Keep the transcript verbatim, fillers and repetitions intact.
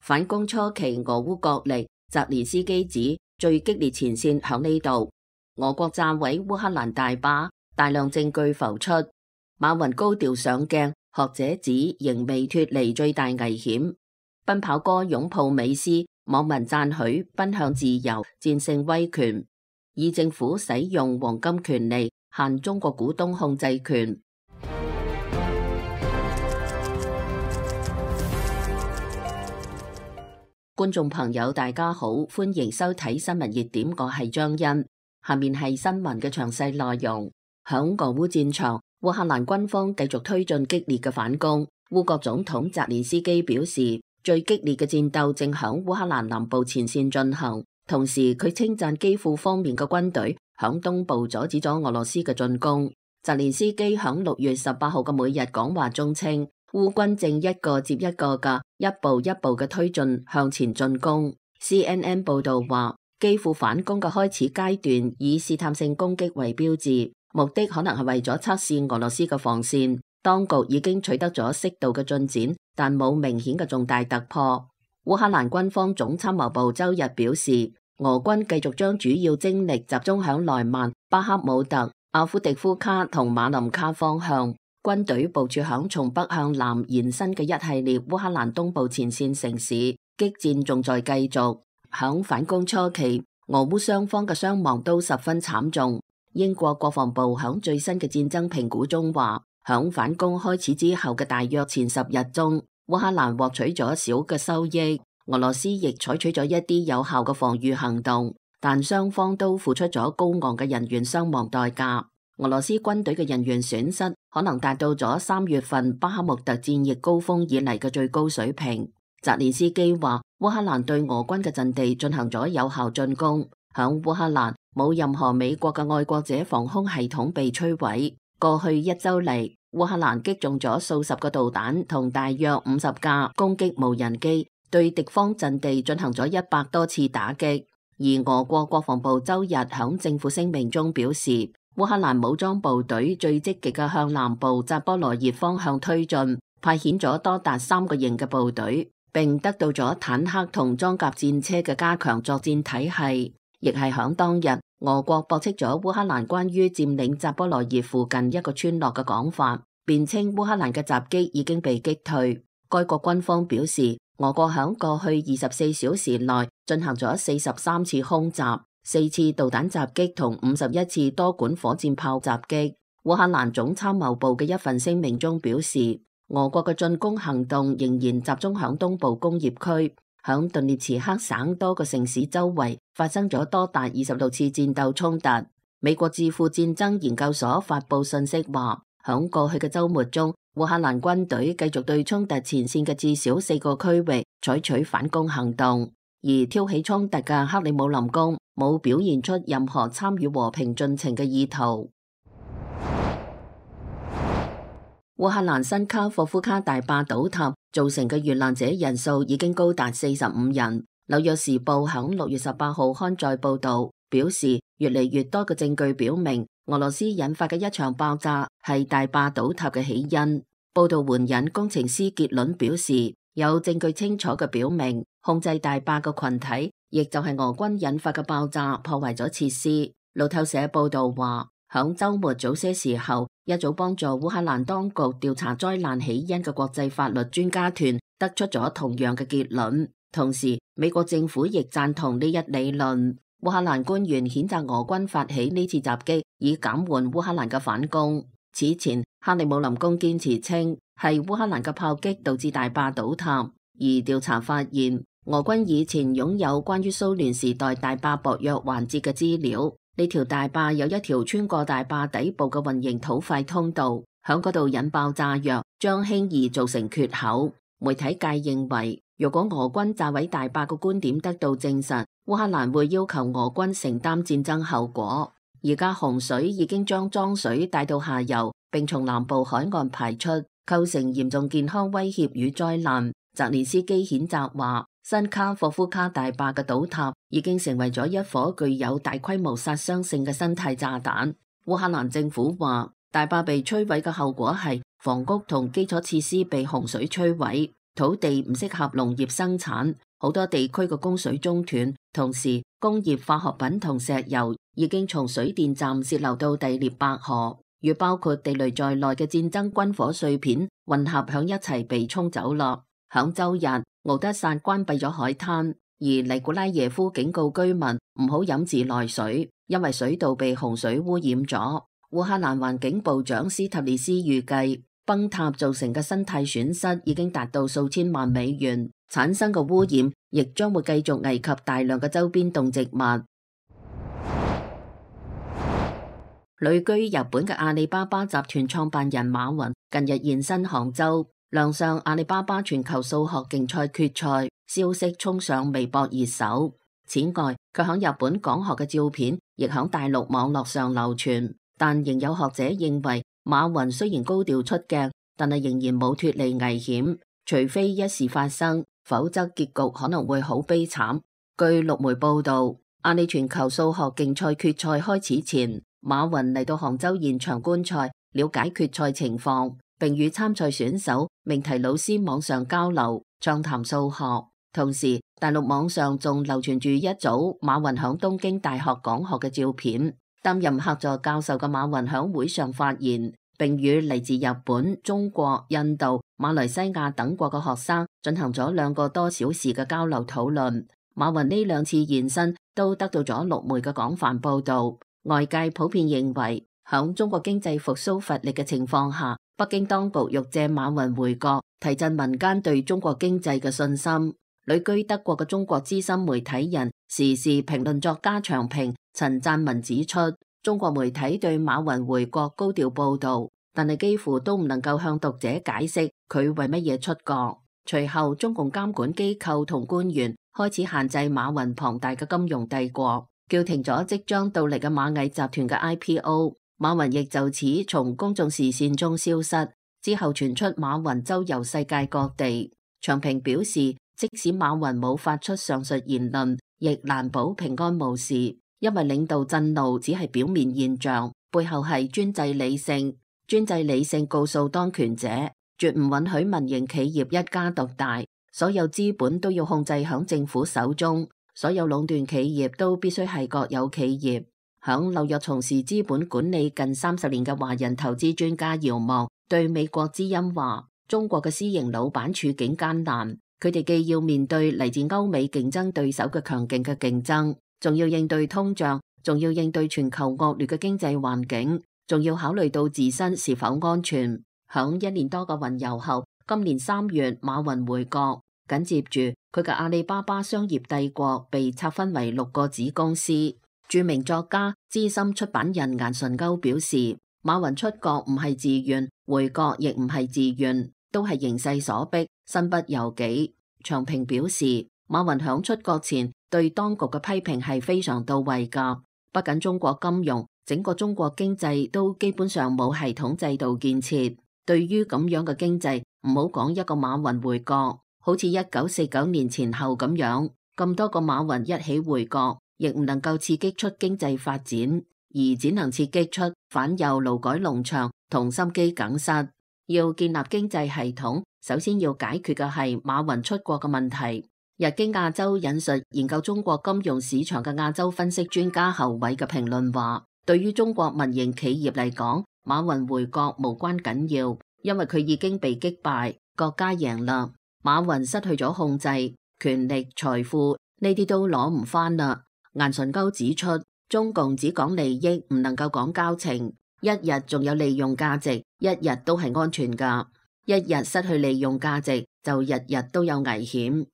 反攻初期俄烏角力，澤連斯基指最激烈前線響呢度。俄國炸毀烏克蘭大壩，大量證據浮出。馬雲高調上鏡，學者指仍未脫離最大危險。奔跑哥擁抱美斯，網民讚許奔向自由，戰勝威權。以政府使用黃金權利，限中國股東控制權。觀眾朋友大家好，歡迎收睇新聞熱點，我係張欣。下面係新聞嘅詳細內容。響俄烏戰場，烏克蘭軍方繼續推進激烈嘅反攻。烏國總統澤連斯基表示，最激烈嘅戰鬥正響烏克蘭南部前線進行。同時，佢稱讚基輔方面嘅軍隊響東部阻止咗俄羅斯嘅進攻。澤連斯基響六月十八號嘅每日講話中稱，烏軍正一個接一個嘅一步一步嘅推進向前進攻。C N N 報道話，基輔反攻嘅開始階段以試探性攻擊為標誌，目的可能係為咗測試俄羅斯嘅防線。當局已經取得咗適度嘅進展，但冇明顯嘅重大突破。烏克蘭軍方總參謀部周日表示，俄軍繼續將主要精力集中響萊曼、巴克姆特、阿夫迪夫卡同馬林卡方向。軍隊部署響從北向南延伸嘅一系列烏克蘭東部前線城市，激戰仲在繼續。響反攻初期，俄烏雙方嘅傷亡都十分慘重。英國國防部響最新嘅戰爭評估中話，響反攻開始之後嘅大約前十日中，烏克蘭獲取咗小嘅收益，俄羅斯亦採取咗一啲有效嘅防禦行動，但雙方都付出咗高昂嘅人員傷亡代價。俄羅斯軍隊嘅人員損失可能達到咗三月份巴克穆特戰役高峰以嚟嘅最高水平。澤連斯基話，烏克蘭對俄軍嘅陣地進行咗有效進攻，響烏克蘭冇任何美國嘅愛國者防空系統被摧毀。過去一周嚟，烏克蘭擊中咗數十個導彈同大約五十架攻擊無人機，對敵方陣地進行咗一百多次打擊。而俄國國防部周日響政府聲明中表示，烏克蘭武裝部隊最積極嘅向南部扎波羅熱方向推進，派遣咗多達三個營嘅部隊，並得到咗坦克同裝甲戰車嘅加強作戰體系。亦係響當日，俄國駁斥咗烏克蘭關於佔領扎波羅熱附近一個村落嘅講法，辯稱烏克蘭嘅襲擊已經被擊退。該國軍方表示，俄國響過去二十四小時內進行咗四十三次空襲、四次導彈襲擊同五十一次多管火箭炮襲擊。烏克蘭總參謀部嘅一份聲明中表示，俄國嘅進攻行動仍然集中響東部工業區。響頓涅茨克省多個城市周圍發生咗多達二十六次戰鬥衝突。美國智庫戰爭研究所發佈信息話，響過去嘅周末中，烏克蘭軍隊繼續對衝突前線嘅至少四個區域採取反攻行動，而挑起衝突嘅克里姆林宮冇表現出任何參與和平進程嘅意圖。烏克蘭新卡霍夫卡大壩倒塌造成嘅遇難者人數已經高達四十五人。紐約時報響六月十八號刊載報道，表示越嚟越多嘅證據表明，俄羅斯引發嘅一場爆炸係大壩倒塌嘅起因。報道援引工程師結論表示，有證據清楚嘅表明，控制大壩嘅群體，亦就係俄軍引發嘅爆炸破壞咗設施。路透社報道話，響週末早些時候，一組幫助烏克蘭當局調查災難起因嘅國際法律專家團得出咗同樣嘅結論。同時，美國政府亦贊同呢一理論。烏克蘭官員譴責俄軍發起呢次襲擊，以減緩烏克蘭嘅反攻。此前，克里姆林宮堅持稱係烏克蘭嘅炮擊導致大壩倒塌，而調查發現，俄軍以前擁有關於蘇聯時代大壩薄弱環節嘅資料。呢條大壩有一條穿過大壩底部嘅混凝土塊通道，響嗰度引爆炸藥，將輕易造成缺口。媒體界認為，如果俄軍炸毀大壩嘅觀點得到證實，烏克蘭會要求俄軍承擔戰爭後果。而家洪水已經將髒水帶到下游，並從南部海岸排出，構成嚴重健康威脅與災難。澤連斯基譴責話，新卡霍夫卡大壩嘅倒塌已經成為咗一顆具有大規模殺傷性嘅生態炸彈。烏克蘭政府話，大壩被摧毀嘅後果係房屋同基礎設施被洪水摧毀，土地唔適合農業生產，好多地區嘅供水中斷，同時工業化學品同石油已經從水電站洩漏到第聶伯河，與包括地雷在內嘅戰爭軍火碎片混合響一齊被沖走落。響周日，敖德薩關閉咗海灘，而尼古拉耶夫警告居民唔好飲自來水，因為水道被洪水污染咗。烏克蘭環境部長斯塔列斯預計，崩塌造成嘅生態損失已經達到數千萬美元，產生嘅污染亦將會繼續危及大量嘅周邊動植物。旅居日本嘅阿里巴巴集團創辦人馬雲近日現身杭州，亮相阿里巴巴全球數學競賽決賽，消息衝上微博熱搜。此外，佢響日本講學嘅照片亦響大陸網絡上流傳，但仍有學者認為，馬雲雖然高調出鏡，但係仍然冇脫離危險，除非一事發生，否則結局可能會好悲慘。據陸媒報道，阿里全球數學競賽決賽開始前，馬雲嚟到杭州現場觀賽，了解決賽情況，並與參賽選手、命題老師網上交流，暢談數學。同時，大陸網上仲流傳住一組馬雲響東京大學講學嘅照片。擔任客座教授嘅馬雲響會上發言，並與嚟自日本、中國、印度、馬來西亞等國嘅學生進行咗兩個多小時嘅交流討論。馬雲呢兩次現身都得到咗陸媒嘅廣泛報道。外界普遍認為，響中國經濟復甦乏力嘅情況下，北京當局欲借馬雲回國，提振民間對中國經濟嘅信心。旅居德國嘅中國資深媒體人、時事評論作家長平陳贊文指出，中國媒體對馬雲回國高調報道，但係幾乎都唔能夠向讀者解釋佢為乜嘢出國。隨後，中共監管機構同官員開始限制馬雲龐大嘅金融帝國，叫停咗即將到嚟嘅螞蟻集團嘅 I P O。馬雲亦就此從公眾視線中消失。之後傳出馬雲周遊世界各地。長平表示，即使馬雲冇發出上述言論，亦難保平安無事，因為領導震怒只係表面現象，背後係專制理性。專制理性告訴當權者，絕唔允許民營企業一家獨大，所有資本都要控制響政府手中，所有壟斷企業都必須係國有企業。響紐約從事資本管理近三十年嘅華人投資專家姚望對美國之音話，中國嘅私營老闆處境艱難。佢哋既要面對嚟自歐美競爭對手嘅強勁嘅競爭，仲要應對通脹，仲要應對全球惡劣嘅經濟環境，仲要考慮到自身是否安全。響一年多嘅雲遊後，今年三月馬雲回國，緊接住佢嘅阿里巴巴商業帝國被拆分為六個子公司。著名作家、資深出版人顏純鈎表示，馬雲出國唔係自願，回國亦唔係自願，都係形勢所逼，身不由己。長平表示，馬雲響出國前對當局嘅批評係非常到位噶，不僅中國金融，整個中國經濟都基本上冇系統制度建設。對於咁樣嘅經濟，唔好講一個馬雲回國，好似一九四九年前後咁樣，咁多個馬雲一起回國，亦唔能夠刺激出經濟發展，而只能刺激出反右勞改農場同心肌梗塞。要建立經濟系統，首先要解決嘅係馬雲出國嘅問題。日經亞洲引述研究中國金融市場嘅亞洲分析專家侯偉嘅評論話，對於中國民營企業嚟講，馬雲回國無關緊要，因為佢已經被擊敗，國家贏啦。馬雲失去咗控制、權力、財富，呢啲都攞唔返啦。顏純鈎指出，中共只講利益，唔能夠講交情。一日仲有利用價值，一日都係安全㗎；一日失去利用價值，就日日都有危險。